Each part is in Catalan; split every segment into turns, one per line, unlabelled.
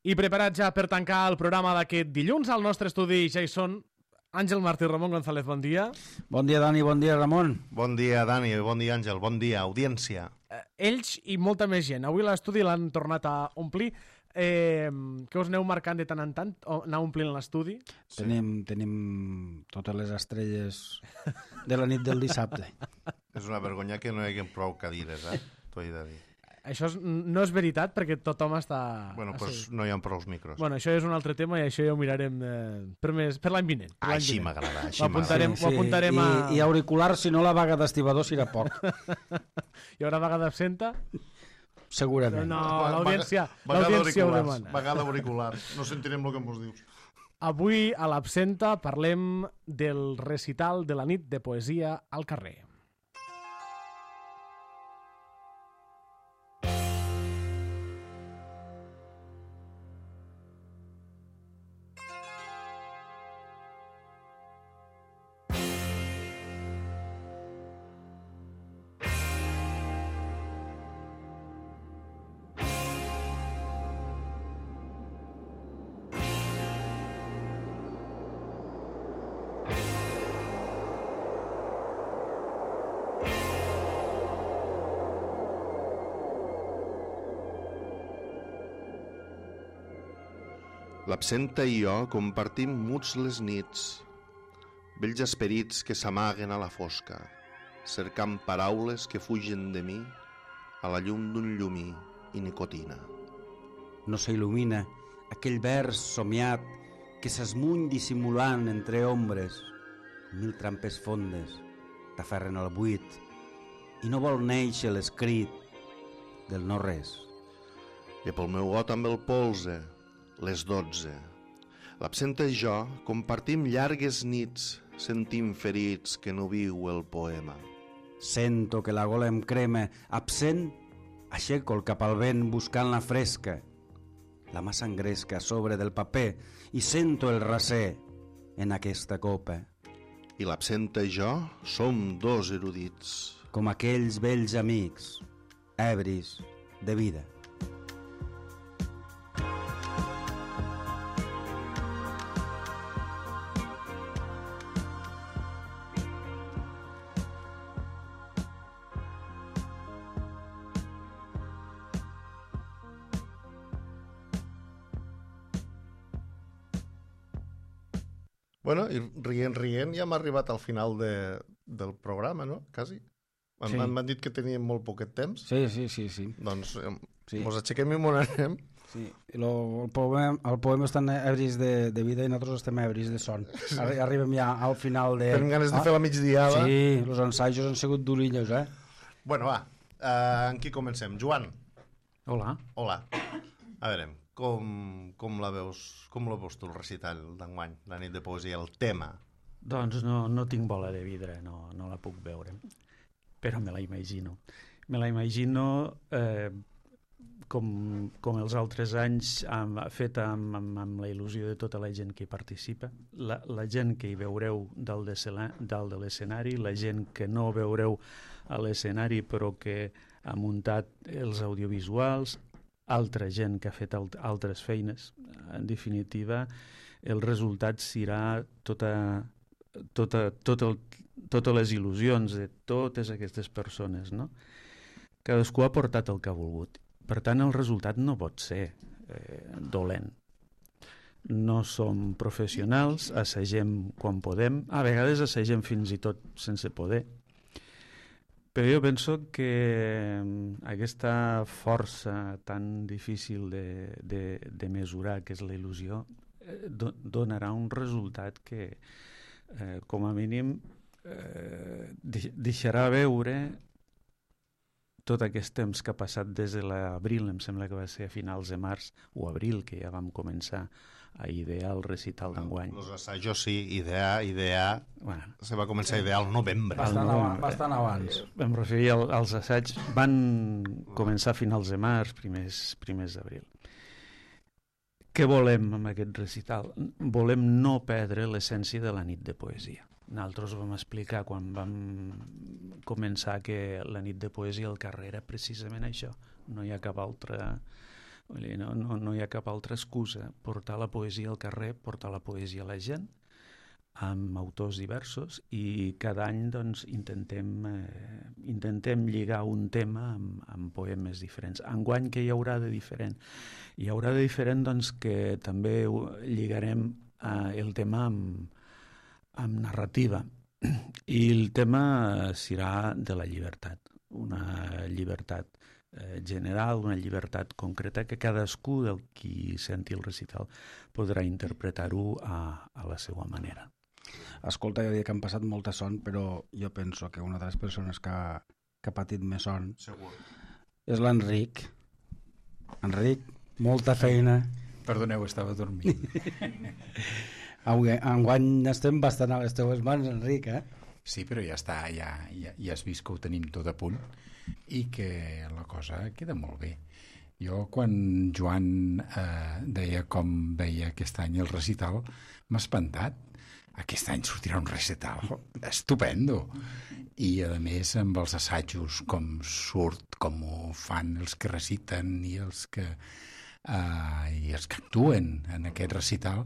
I preparat ja per tancar el programa d'aquest dilluns, al nostre estudi ja hi són Àngel Martí i Ramon González, bon dia.
Bon dia, Dani, bon dia, Ramon.
Bon dia, Dani, bon dia, Àngel, bon dia, audiència.
Ells i molta més gent. Avui l'estudi l'han tornat a omplir. Que us aneu marcant de tant en tant o anar omplint l'estudi?
Sí. Tenim totes les estrelles de la nit del dissabte.
És una vergonya que no hi hagi prou cadires, t'ho he de dir.
Això no és veritat perquè tothom està...
Bueno, doncs no hi ha prou micros.
Bueno, això és un altre tema i això ja ho mirarem per l'any vinent.
Així m'agrada, així
m'agrada. Ho apuntarem a...
I auricular, si no la vaga d'estibador serà poc.
Hi haurà vaga d'absenta?
Segurament.
No, l'audiència ho demana.
Vaga d'auricular, no sentirem el que ens dius.
Avui a l'Absenta parlem del recital de la nit de poesia al carrer.
L'Absenta i jo compartim muts les nits, vells esperits que s'amaguen a la fosca, cercant paraules que fugen de mi a la llum d'un llumí i nicotina.
No s'il·lumina aquell vers somiat que s'esmuny dissimulant entre ombres. Mil trampes fondes t'aferren al buit i no vol néixer l'escrit del no res.
I pel meu got amb el polze, les 12. L'Absenta i jo compartim llargues nits sentint ferits que no viu el poema.
Sento que la gola em crema, absent, aixeco el cap al vent buscant la fresca. La mà s'engresca a sobre del paper i sento el raser en aquesta copa.
I l'Absenta i jo som dos erudits.
Com aquells vells amics, ebris de vida.
Bueno, i rient ja hem arribat al final del programa, no? Quasi.
Sí.
M'han dit que teníem molt poquet temps.
Sí.
Doncs
Sí.
mos aixequem i m'on anem.
Sí, el poema estan ebris de vida i nosaltres estem ebris de son. Arribem ja al final de...
Tenim ganes de fer la migdiada.
Sí, els ensajos han sigut durillos,
Bueno, va, en qui comencem? Joan.
Hola.
Hola. A veure, com la veus tu el recital d'enguany, la nit de poesia, el tema?
Doncs no tinc bola de vidre, no la puc veure, però me la imagino. Me la imagino com els altres anys feta amb la il·lusió de tota la gent que hi participa, la gent que hi veureu dalt de l'escenari, la gent que no veureu a l'escenari però que ha muntat els audiovisuals, altra gent que ha fet altres feines. En definitiva, el resultat serà totes les il·lusions de totes aquestes persones, no? Cadascú ha portat el que ha volgut. Per tant, el resultat no pot ser dolent. No som professionals, assagem quan podem, a vegades assagem fins i tot sense poder. Però jo penso que aquesta força tan difícil de mesurar, que és la il·lusió, donarà un resultat que, com a mínim, deixarà veure tot aquest temps que ha passat des de l'abril, em sembla que va ser a finals de març o abril, que ja vam començar a idear el recital d'enguany.
Els assajos sí, idear bueno, se va començar a idear al novembre.
Bastant abans.
Em referia als assaigs, van començar a finals de març, primers d'abril. Què volem amb aquest recital? Volem no perdre l'essència de la nit de poesia. Nosaltres vam explicar quan vam començar que la nit de poesia al carrer era precisament això. No hi ha cap altra Vull dir, no hi ha cap altra excusa. Portar la poesia al carrer, portar la poesia a la gent, amb autors diversos, i cada any doncs, intentem lligar un tema amb poemes diferents. Enguany, què hi haurà de diferent? Hi haurà de diferent doncs, que també lligarem el tema amb narrativa, i el tema serà de la llibertat, una llibertat general, una llibertat concreta que cadascú del qui senti el recital podrà interpretar-ho a la seva manera.
Escolta, jo diria que han passat molta son, però jo penso que una de les persones que ha patit més son és l'Enric. Enric, molta feina.
Perdoneu, estava dormint.
Enguany estem bastant a les teves mans, Enric, eh?
Sí, però ja està, ja has vist que ho tenim tot a punt i que la cosa queda molt bé. Jo, quan Joan deia com veia aquest any el recital, m'ha espantat. Aquest any sortirà un recital estupendo. I, a més, amb els assajos, com surt, com ho fan els que reciten i els que actuen en aquest recital.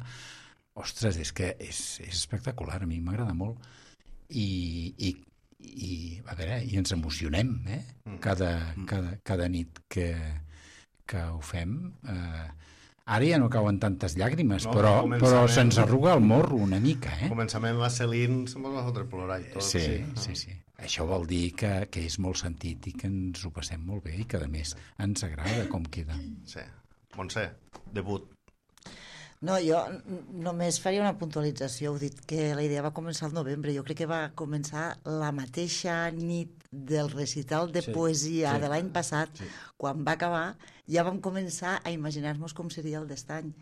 Ostres, és que és espectacular, a mi m'agrada molt. I a veure, i ens emocionem, cada nit que ho fem. Ara ja no cauen tantes llàgrimes, però se'ns arruga el morro una mica,
Començament la Celine se'm va fotre plorar i tot.
Sí. Això vol dir que és molt sentit i que ens ho passem molt bé i que, a més, ens agrada com queda.
Sí. Montse, debut.
No, jo només faria una puntualització. Heu dit que la idea va començar al novembre. Jo crec que va començar la mateixa nit del recital de poesia de l'any passat. Quan va acabar, ja vam començar a imaginar-nos com seria el d'estany.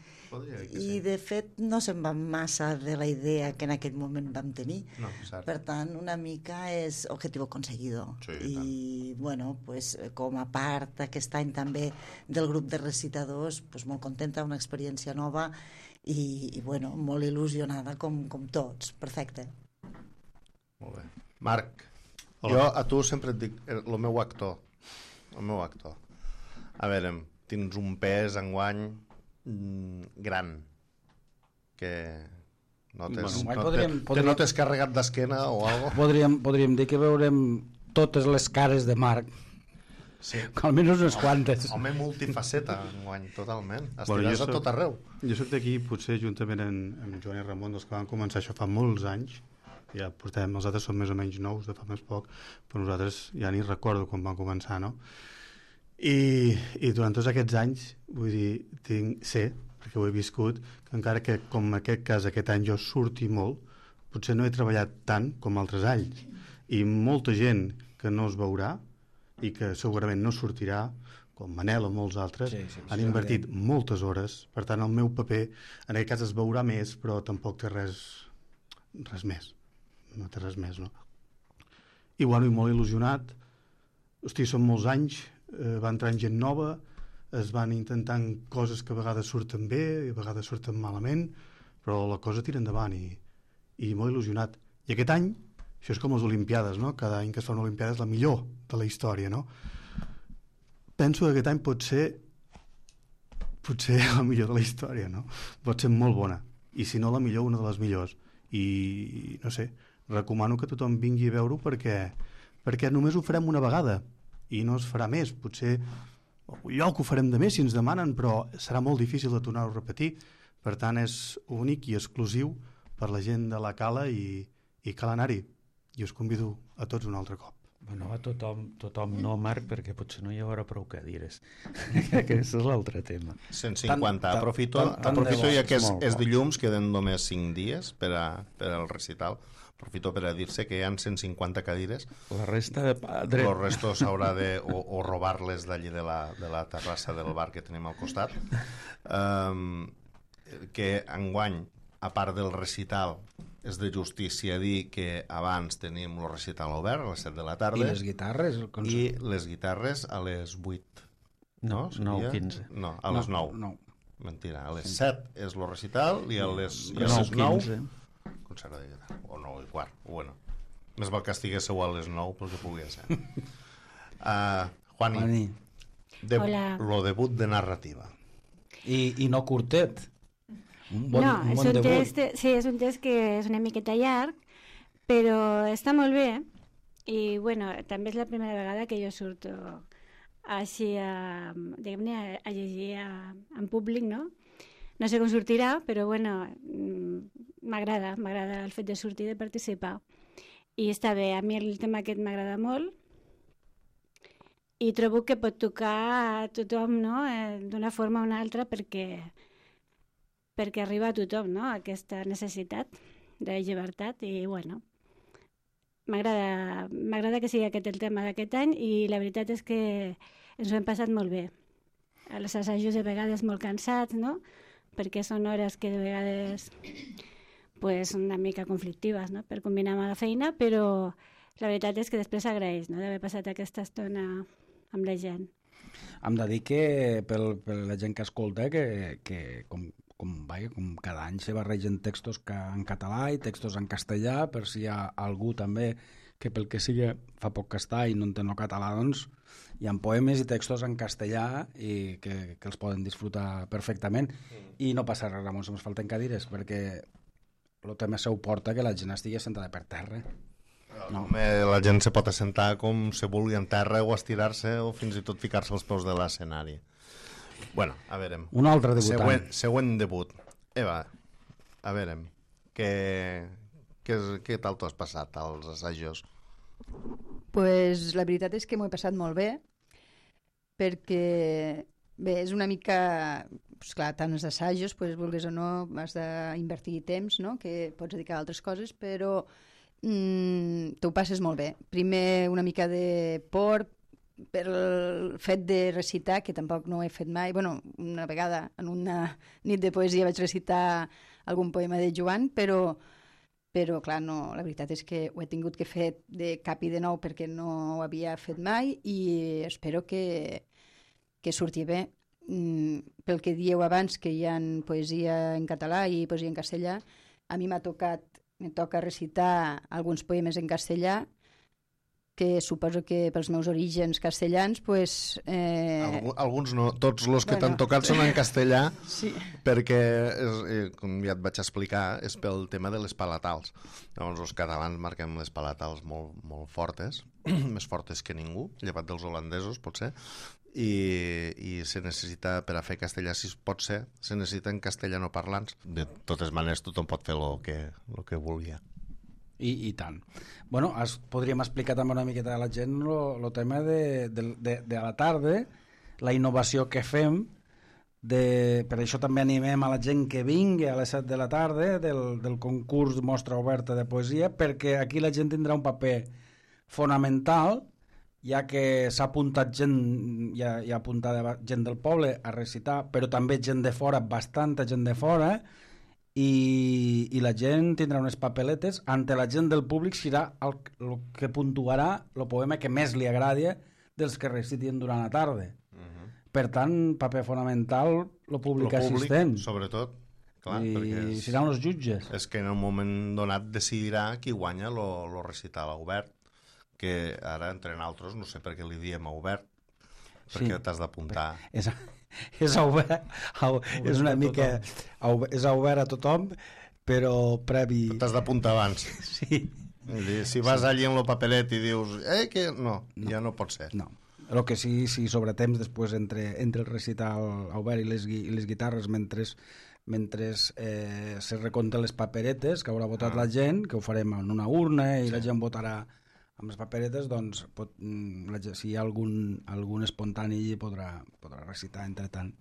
I, de fet, no se'n va massa de la idea que en aquell moment vam tenir.
No, cert.
Per tant, una mica és objetivo conseguido.
Sí,
I, bueno, pues, com a part aquest any també del grup de recitadors, pues, molt contenta, una experiència nova i bueno, molt il·lusionada com tots. Perfecte.
Molt bé. Marc, jo a tu sempre et dic el meu actor. A veure, tens un pes enguany gran que no t'has carregat d'esquena o alguna cosa.
Podríem dir que veurem totes les cares de Marc.
Sí.
Almenys unes quantes.
Home multifaceta enguany, totalment. Estiràs a tot arreu.
Jo soc d'aquí, potser juntament amb Joan i Ramon, dels que van començar això fa molts anys. Ja portem, els altres són més o menys nous, de fa més poc, però nosaltres ja ni recordo quan vam començar, no? I durant tots aquests anys, vull dir, sé, perquè ho he viscut, que encara que, com en aquest cas, aquest any jo surti molt, potser no he treballat tant com altres anys. I molta gent que no es veurà i que segurament no sortirà, com Manel o molts altres, han invertit moltes hores. Per tant, el meu paper, en aquest cas, es veurà més, però tampoc té res més. No té res més, no? I, bueno, i molt il·lusionat. Hosti, són molts anys, va entrant gent nova, es van intentant coses que a vegades surten bé i a vegades surten malament, però la cosa tira endavant i molt il·lusionat. I aquest any, això és com les Olimpiades, no? Cada any que es fa una Olimpiada és la millor de la història, no? Penso que aquest any pot ser la millor de la història, no? Pot ser molt bona, i si no la millor, una de les millors. I, no sé, recomano que tothom vingui a veure-ho perquè només ho farem una vegada i no es farà més. Potser un lloc ho farem de més si ens demanen, però serà molt difícil de tornar-ho a repetir. Per tant, és únic i exclusiu per la gent de la Cala i cal anar-hi. I us convido a tots un altre cop.
Bueno, a tothom no, Marc, perquè potser no hi haurà prou cadires. Aquest és l'altre tema.
150. Aprofito ja que és dilluns, queden només 5 dies per al recital. Aprofito per a dir-se que hi ha 150 cadires.
La resta
el resto s'haurà de o robar-les d'allí de la terrassa del bar que tenim al costat. Que enguany, a part del recital, és de justícia dir que abans tenim el recital obert a les 7 de la tarda.
I les guitarres?
I les guitarres a les 8.
No, 9:15.
No, a les 9.
No.
Mentira, a les 7 és el recital i a les
9:15.
Concert de guitarra, o 9:15. Bueno, més val que estiguéssiu a les 9 pel que pugui ser. Juani.
Hola.
Lo debut de narrativa.
I no curtet. Un bon
és un
debut.
text, sí, és un text que és una miqueta llarg, però està molt bé. I, bueno, també és la primera vegada que jo surto així diguem-ne, a llegir en públic, no? No sé com sortirà, però, bueno, m'agrada el fet de sortir, de participar. I està bé, a mi el tema aquest m'agrada molt i trobo que pot tocar a tothom, no? D'una forma o una altra perquè arriba a tothom, no? Aquesta necessitat de llibertat i, bueno, m'agrada que sigui aquest el tema d'aquest any i la veritat és que ens ho hem passat molt bé. Els assajos de vegades molt cansats, no? Perquè són hores que de vegades pues, una mica conflictives, no? Per combinar amb la feina, però la veritat és que després s'agraeix, no? D'haver passat aquesta estona amb la gent.
Hem de dir que per la gent que escolta que com cada any se barregen textos en català i textos en castellà, per si hi ha algú també que pel que sigui fa poc que està i no entén el català, doncs hi ha poemes i textos en castellà i que els poden disfrutar perfectament. I no passa res, Ramon, si ens falten cadires, perquè el tema seu porta que la gent estigui sentada per terra.
No. La gent se pot assentar com se vulgui en terra o estirar-se o fins i tot ficar-se als peus de l'escenari. Bueno, a veure.
Un altre debutant.
Següent debut. Eva, a veure, què tal t'ho has passat als assajos?
Pues la veritat és que m'ho he passat molt bé, perquè bé, és una mica, pues clar, tant els assajos, pues, vulguis o no, has d'invertir temps, no? Que pots dedicar a altres coses, però t'ho passes molt bé. Primer una mica de por per el fet de recitar, que tampoc no ho he fet mai. Bueno, una vegada en una nit de poesia vaig recitar algun poema de Joan, però clar, no, la veritat és que ho he tingut que fer de cap i de nou perquè no ho havia fet mai i espero que surti bé. Pel que dieu abans, que hi ha poesia en català i poesia en castellà, a mi me toca recitar alguns poemes en castellà, que suposo que pels meus orígens castellans, pues...
Alguns no, tots els que t'han tocat són en castellà,
sí.
Perquè, com ja et vaig explicar, és pel tema de les palatals. Llavors, els catalans marquem les palatals molt, molt fortes, més fortes que ningú, llevat dels holandesos, potser, i se necessita, per a fer castellà, si pot ser, se necessita en castellanoparlants. De totes maneres, tothom pot fer el que vulgui.
I tant. Bueno, podríem explicar també una miqueta a la gent el tema de a la tarda, la innovació que fem, per això també animem a la gent que vingui a les 7 de la tarda del concurs Mostra Oberta de Poesia, perquè aquí la gent tindrà un paper fonamental, ja que s'ha apuntat gent, hi ha apuntada gent del poble a recitar, però també gent de fora, bastanta gent de fora, i la gent tindrà unes papeletes. Ante la gent del públic serà el que puntuarà el poema que més li agradi dels que recitin durant la tarda. Per tant, paper fonamental el públic assistent,
sobretot, clar,
i seran els jutges.
És que en un moment donat decidirà qui guanya el recital obert, que ara entre altres no sé per què li diem obert, perquè t'has d'apuntar.
És obert, és una mica és obert a tothom, però previ...
T'has d'apuntar abans.
Sí.
Si vas allí en el paperet i dius que no, ja no pot ser.
No. El que sí, sobre temps després entre el recital obert i les guitarres mentre se recompten les paperetes que haurà votat la gent, que ho farem en una urna i la gent votarà amb les paperetes, doncs si hi ha algun espontani allí podrà recitar entre tant.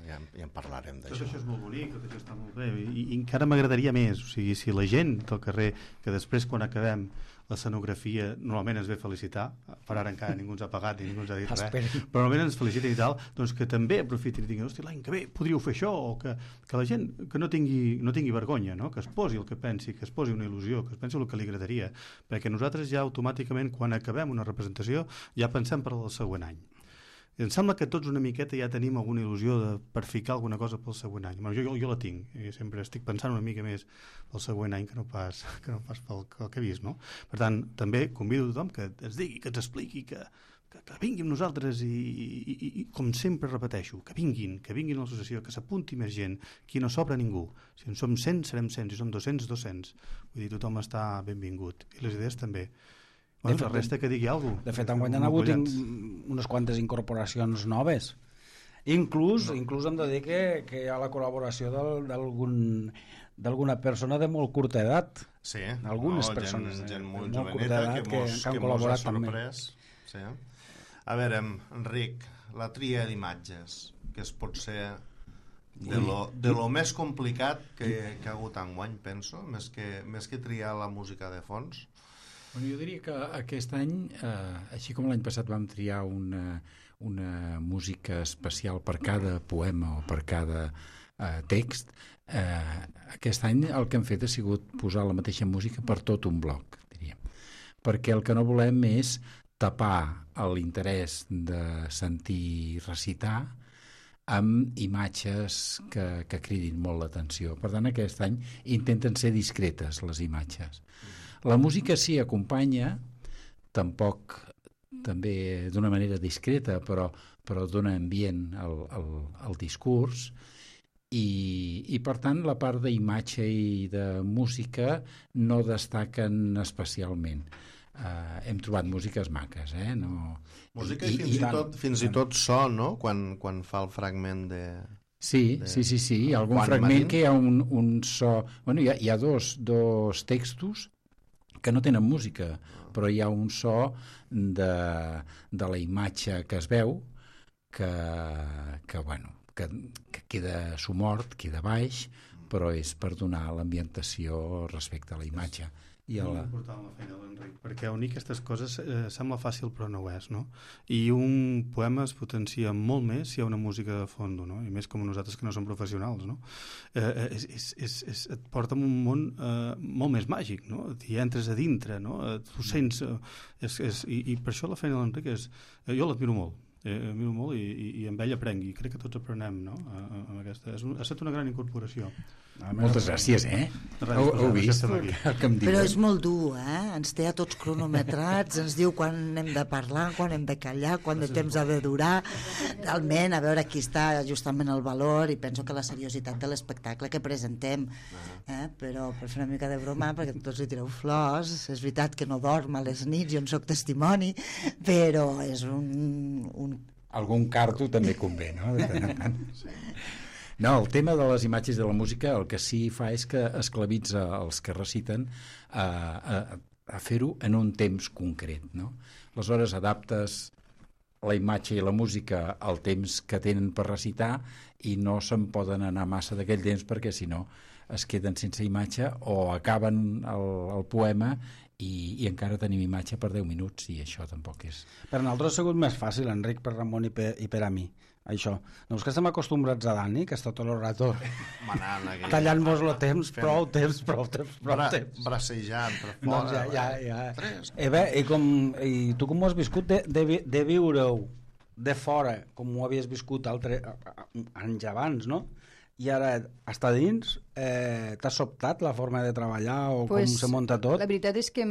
Ja en parlarem d'això.
Tot això és molt bonic, tot això està molt bé i encara m'agradaria més, o sigui, si la gent del carrer, que després quan acabem l'escenografia normalment ens ve felicitar, per ara encara ningú ens ha pagat i ningú ens ha dit res, però normalment ens felicita i tal, doncs que també aprofitin i diguin, hosti, l'any que ve podríeu fer això, o que la gent que no tingui vergonya, no? Que es posi el que pensi, que es posi una il·lusió, que es pensi el que li agradaria, perquè nosaltres ja automàticament quan acabem una representació ja pensem per al següent any. I em sembla que tots una miqueta ja tenim alguna il·lusió per ficar alguna cosa pel següent any. Jo la tinc, i sempre estic pensant una mica més pel següent any que no pas pel que he vist, no? Per tant, també convido a tothom que ens digui, que ens expliqui, que que vinguin nosaltres i com sempre repeteixo, que vinguin a l'associació, que s'apunti més gent, aquí no sobra ningú. Si en som 100, serem 100, si som 200, 200. Vull dir, tothom està benvingut. I les idees també. Bueno, la resta que digui alguna cosa.
De fet, enguany han hagut unes quantes incorporacions noves. Inclús hem de dir que hi ha la col·laboració d'alguna persona de molt curta edat.
Sí,
algunes persones
gent molt
de molt curta edat que han col·laborat també.
Sí. A veure, Enric, la tria d'imatges, que es pot ser de lo més complicat que ha hagut enguany, penso, més que triar la música de fons.
Bueno, jo diria que aquest any, així com l'any passat vam triar una música especial per cada poema o per cada text, aquest any el que hem fet ha sigut posar la mateixa música per tot un bloc, diríem. Perquè el que no volem és tapar l'interès de sentir recitar amb imatges que cridin molt l'atenció. Per tant, aquest any intenten ser discretes les imatges. La música sí acompanya, tampoc també d'una manera discreta, però dona ambient al discurs, i per tant la part d'imatge i de música no destaquen especialment. Hem trobat músiques maques,
Música i fins i tot so, no? Quan fa el fragment de...
Sí, hi ha algun fragment que hi ha un so... Bueno, hi ha dos textos que no tenen música, però hi ha un so de la imatge que es veu que queda somort, queda baix, però és per donar l'ambientació respecte a la imatge.
És molt important la feina de l'Enric, perquè unir aquestes coses sembla fàcil però no ho és, no? I un poema es potencia molt més si hi ha una música de fons, no? I més com nosaltres que no som professionals, no? Et porta en un món molt més màgic, no? Hi entres a dintre, no? Tu sents... I per això la feina de l'Enric és... Jo l'admiro molt. I amb ell aprenc, i crec que tots aprenem, no? Ha estat una gran incorporació.
Moltes gràcies, Heu vist el que em diuen?
Però és molt dur, ens té a tots cronometrats, ens diu quan hem de parlar, quan hem de callar, quant de temps ha de durar. Realment, a veure, aquí està justament el valor, i penso que la seriositat de l'espectacle que presentem, però per fer una mica de broma, perquè tots li tireu flors, és veritat que no dorm a les nits, jo en soc testimoni, però és un...
Algun carto també convé, no? De tant en tant. No, el tema de les imatges de la música el que sí fa és que esclavitza els que reciten a fer-ho en un temps concret, no? Aleshores adaptes la imatge i la música al temps que tenen per recitar i no se'n poden anar massa d'aquell temps perquè si no es queden sense imatge o acaben el poema i encara tenim imatge per 10 minuts i això tampoc és...
Per nosaltres ha sigut més fàcil, Enric, per Ramon i per a mi, això. No és que estem acostumbrats a Dani, que està tot el rato tallant-vos el temps, prou temps.
Bracejant per fora.
Ja. I tu com ho has viscut de viure-ho de fora, com ho havies viscut anys abans, no? I ara, està dins, t'ha sobtat la forma de treballar o com se munta tot?
La veritat és que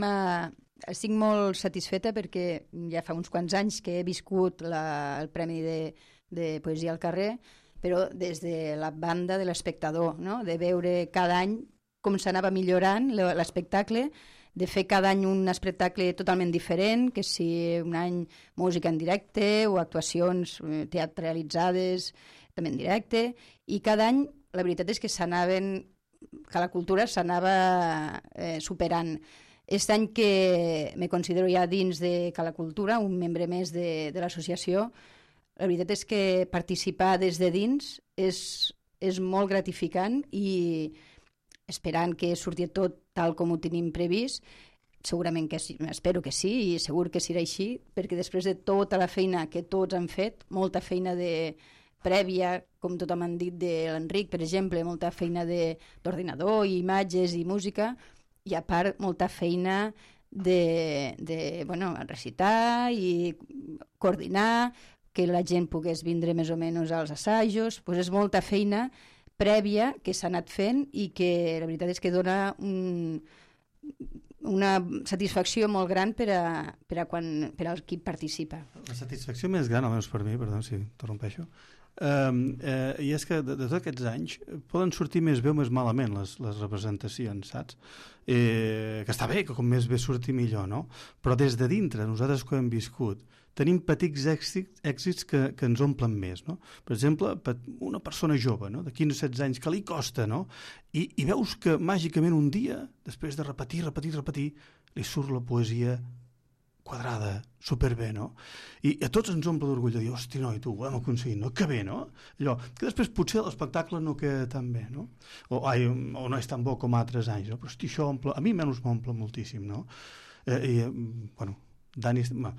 estic molt satisfeta perquè ja fa uns quants anys que he viscut el Premi de Poesia al carrer, però des de la banda de l'espectador, no? De veure cada any com s'anava millorant l'espectacle, de fer cada any un espectacle totalment diferent, que si un any música en directe o actuacions teatralitzades també en directe, i cada any la veritat és que que la cultura s'anava superant. Aquest any que me considero ja dins de Cala Cultura, un membre més de l'associació, la veritat és que participar des de dins és molt gratificant i esperant que surti tot tal com ho tenim previst, segurament que sí, espero que sí i segur que serà així, perquè després de tota la feina que tots han fet, molta feina prèvia, com tothom han dit de l'Enric, per exemple, molta feina d'ordinador, imatges i música, i a part molta feina de recitar i coordinar, que la gent pogués vindre més o menys als assajos, doncs és molta feina prèvia que s'ha anat fent i que la veritat és que dona una satisfacció molt gran per al qui participa.
La satisfacció més gran, almenys per mi, perdó si interrompeixo, i és que de tots aquests anys poden sortir més bé o més malament les representacions, saps? Que està bé, que com més bé surti millor, no? Però des de dintre, nosaltres que ho hem viscut, tenim petits èxits que ens omplen més, no? Per exemple, una persona jove, no? De 15 o 16 anys, que li costa, no? I veus que màgicament un dia, després de repetir, li surt la poesia quadrada, superbé, no? I a tots ens omple d'orgull de dir, hosti, noi, tu, ho hem aconseguit, no? Que bé, no? Allò, que després potser l'espectacle no queda tan bé, no? O no és tan bo com altres anys, no? Però, hosti, això omple, a mi menys m'omple moltíssim, no? Bueno, Dani està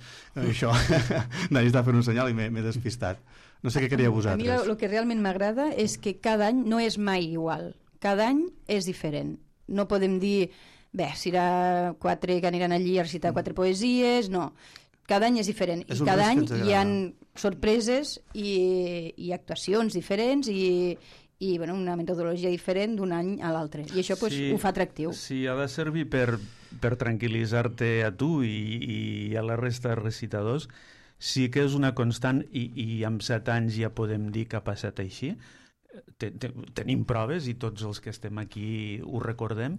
fent un senyal i m'he despistat. No sé què queríeu vosaltres.
A mi el que realment m'agrada és que cada any no és mai igual. Cada any és diferent. No podem dir, bé, serà 4 que aniran allí a recitar 4 poesies, no. Cada any és diferent. I cada any hi ha sorpreses i actuacions diferents i bueno, una metodologia diferent d'un any a l'altre. I això ho fa atractiu.
Sí, ha de servir per tranquil·litzar-te a tu i a la resta de recitadors. Sí que és una constant i amb 7 anys ja podem dir que ha passat així. Tenim proves i tots els que estem aquí ho recordem.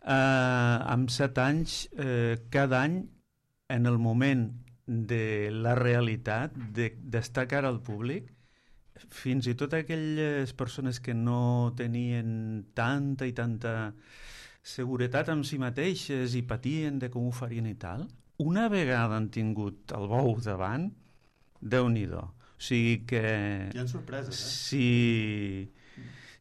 Amb 7 anys, cada any, en el moment de la realitat, d'estar cara al públic, fins i tot aquelles persones que no tenien tanta i tanta seguretat amb si mateixes i patien de com ho farien i tal, una vegada han tingut el bou davant, Déu-n'hi-do. O sigui que...
Hi ha sorpreses,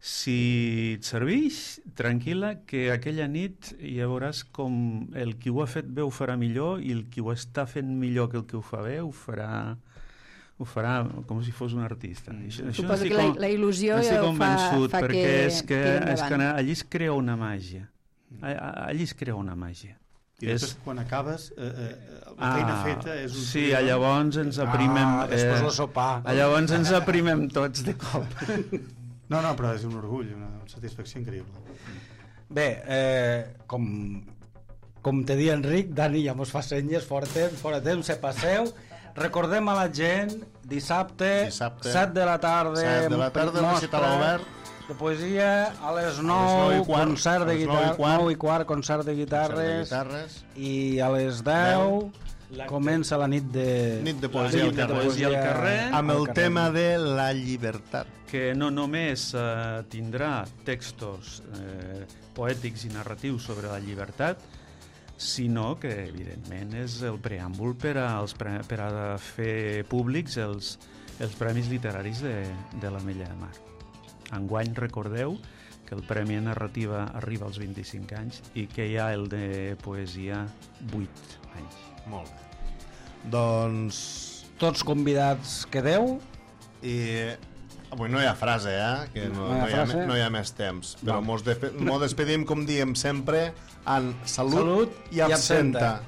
Si et serveix, tranquil·la, que aquella nit ja veuràs com el qui ho ha fet bé ho farà millor i el qui ho està fent millor que el que ho fa bé ho farà com si fos un artista.
Suposo que la il·lusió fa
que allí es crea una màgia. Allí es crea una màgia.
I després, quan acabes, la feina feta és un...
Sí, llavors ens aprimem...
Després el sopar.
Llavors ens aprimem tots de cop.
No, però és un orgull, una satisfacció increïble.
Bé, com te dia Enric, Dani ja mos fa senyes, fora temps, se passeu. Recordem a la gent, dissabte 7 de la tarda,
recital obert.
De poesia, a les 9, concert de guitarres, 9 i quart, concert de guitarres, i a les 10 comença la nit de
poesia al carrer, amb el tema de la llibertat.
Que no només tindrà textos poètics i narratius sobre la llibertat, sinó que, evidentment, és el preàmbul per a fer públics els premis literaris de l'Ametlla de Mar. Enguany, recordeu que el Premi de Narrativa arriba als 25 anys i que hi ha el de Poesia 8 anys.
Molt bé. Doncs...
Tots convidats quedeu.
I... Avui no hi ha frase, que no hi ha més temps. Però mos despedim, com diem sempre, en salut i absenta.